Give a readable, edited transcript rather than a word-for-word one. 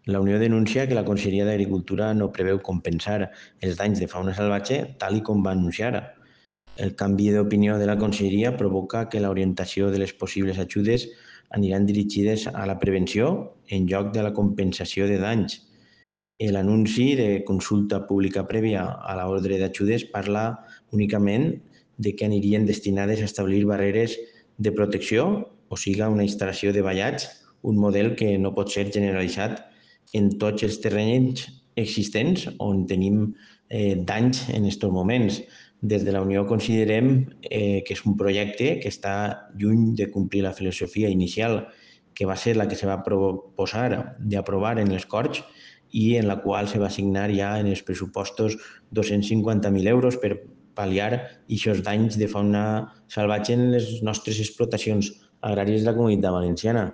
La Unió denuncia que la Conselleria d'Agricultura no preveu compensar els danys de fauna salvatge tal i com va anunciar. El canvi d'opinió de la Conselleria provoca que l'orientació de les possibles ajudes aniran dirigides a la prevenció en lloc de la compensació de danys. L'anunci de consulta pública prèvia a l'ordre d'ajudes parla únicament de que anirien destinades a establir barreres de protecció, o siga una instal·lació de vallats, un model que no pot ser generalitzat en tots els terrenys existents on tenim danys en aquests moments. Des de la Unió considerem que és un projecte que està lluny de complir la filosofia inicial, que va ser la que se va proposar d'aprovar en les Corts i en la qual se va assignar ja en els pressupostos 250.000 euros per pal·liar aquests danys de fauna salvatge en les nostres explotacions agràries de la Comunitat Valenciana.